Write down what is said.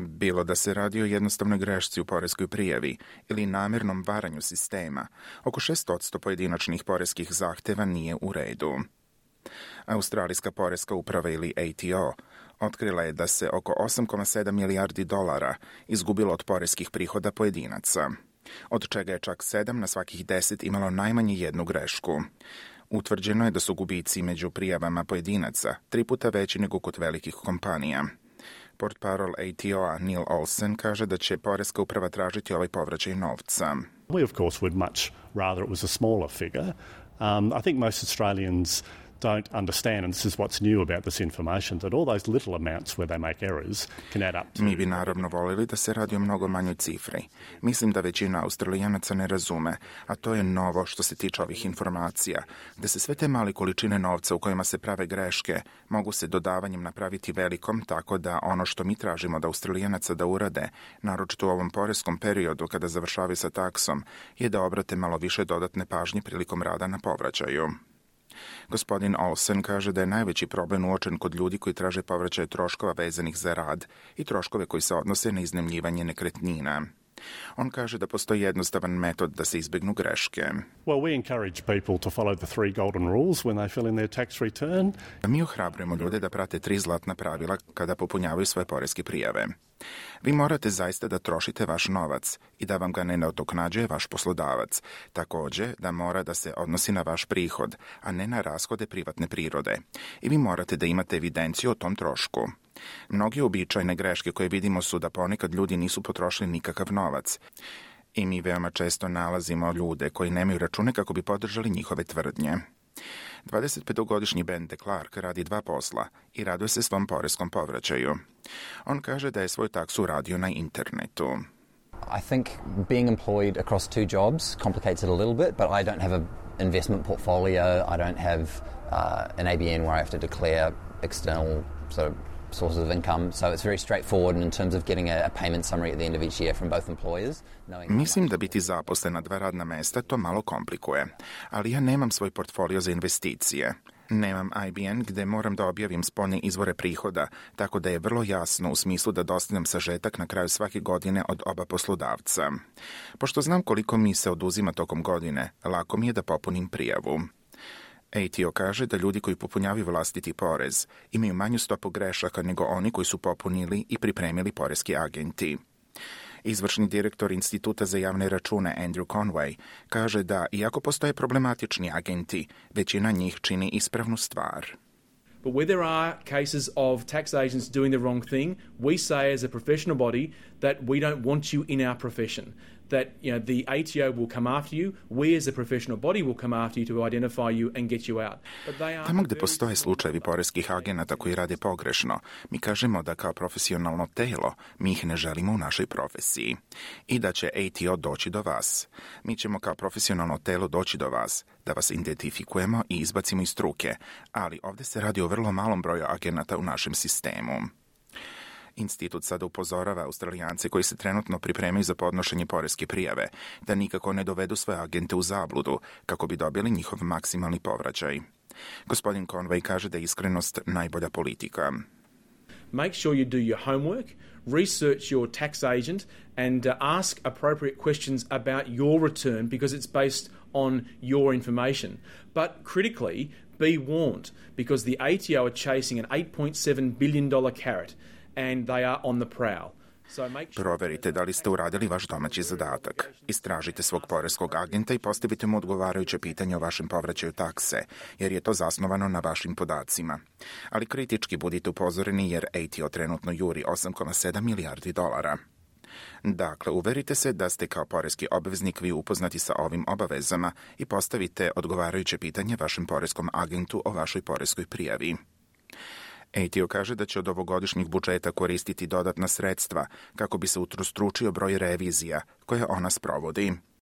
Bilo da se radi o jednostavnoj grešci u poreskoj prijavi ili namjernom varanju sistema, oko 6% pojedinačnih poreskih zahteva nije u redu. Australijska poreska uprava ili ATO otkrila je da se oko 8,7 milijardi dolara izgubilo od poreskih prihoda pojedinaca, od čega je čak 7 na svakih 10 imalo najmanje jednu grešku. Utvrđeno je da su gubici među prijavama pojedinaca 3 puta veći nego kod velikih kompanija. Portparol ATO-a Neil Olsen kaže da će poreska uprava tražiti ovaj povraćaj novca. We of course would much rather it was a smaller figure. I think most Australians don't understand, and this is what's new about this information, that all those little amounts where they make errors can add up to... Mi bi naravno voljeli da se radi o mnogo manjoj cifri. Mislim da većina Australijanaca ne razume, a to je novo što se tiče ovih informacija, da se sve te male količine novca u kojima se prave greške mogu se dodavanjem napraviti velikom, tako da ono što mi tražimo da Australijanaca da urade, naročito u ovom poreskom periodu kada završavaju sa taksom, je da obrate malo više dodatne pažnje prilikom rada na povraćaju. Gospodin Olsen kaže da je najveći problem uočen kod ljudi koji traže povraćaj troškova vezanih za rad i troškove koji se odnose na iznajmljivanje nekretnina. On kaže da postoji jednostavan metod da se izbegnu greške. Well, we encourage people to follow the 3 golden rules when they fill in their tax return. Mi ohrabrujemo ljude da prate 3 zlatna pravila kada popunjavaju svoje poreske prijave. Vi morate zaista da trošite vaš novac i da vam ga ne nadoknađuje vaš poslodavac. Također da mora da se odnosi na vaš prihod, a ne na rashode privatne prirode. I vi morate da imate evidenciju o tom trošku. Mnogi uobičajene greške koje vidimo su da ponekad ljudi nisu potrošili nikakav novac. I mi veoma često nalazimo ljude koji nemaju račune kako bi podržali njihove tvrdnje. 25-godišnji Ben de Clark radi 2 posla i raduje se svom poreskom povraćaju. On kaže da je svoju taksu radio na internetu. I think being employed across 2 jobs complicates it a little bit, but I don't have an investment portfolio. I don't have an ABN where I have to declare external sort of sources of income, so it's very straightforward in terms of getting a payment summary at the end of each year from both employers. Mislim da biti zaposlen na 2 radna mesta to malo komplikuje, ali ja nemam svoj portfolio za investicije. Nemam IBN gde moram da objavim spoljne izvore prihoda, tako da je vrlo jasno u smislu da dostavljam sažetak na kraju svake godine od oba poslodavca. Pošto znam koliko mi se oduzima tokom godine, lako mi je da popunim prijavu. ATO kaže da ljudi koji popunjavaju vlastiti porez imaju manju stopu grešaka nego oni koji su popunili i pripremili poreski agenti. Izvršni direktor Instituta za javne račune Andrew Conway kaže da, iako postoje problematični agenti, većina njih čini ispravnu stvar. But where there are cases of tax agents doing the wrong thing, we say as a professional body that we don't want you in our profession. That the ATO will come after you, we as a professional body will come after you to identify you and get you out. Tamo gde postoje slučajevi poreskih agenata koji rade pogrešno, mi kažemo da kao profesionalno telo mi ih ne želimo u našoj profesiji i da će ATO doći do vas. Mi ćemo kao profesionalno telo doći do vas, da vas identifikujemo i izbacimo iz struke, ali ovdje se radi o vrlo malom broju agenata u našem sistemu. Institut sada upozorava Australijance koji se trenutno pripremaju za podnošenje poreske prijave da nikako ne dovedu svoje agente u zabludu kako bi dobili njihov maksimalni povraćaj. Gospodin Conway kaže da je iskrenost najbolja politika. Make sure you do your homework, research your tax agent and ask appropriate questions about your return because it's based on your information. But critically, be warned because the ATO are chasing an $8.7 billion carrot and they are on the prowl. Proverite da li ste uradili vaš domaći zadatak. Istražite svog poreskog agenta i postavite mu odgovarajuće pitanje o vašem povraćaju takse, jer je to zasnovano na vašim podacima. Ali kritički budite upozoreni jer ATO trenutno juri 8,7 milijardi dolara. Dakle, uverite se da ste kao poreski obveznik vi upoznati sa ovim obavezama i postavite odgovarajuće pitanje vašem poreskom agentu o vašoj poreskoj prijavi. ATO kaže da će od ovogodišnjih budžeta koristiti dodatna sredstva kako bi se utrostručio broj revizija koje ona sprovodi.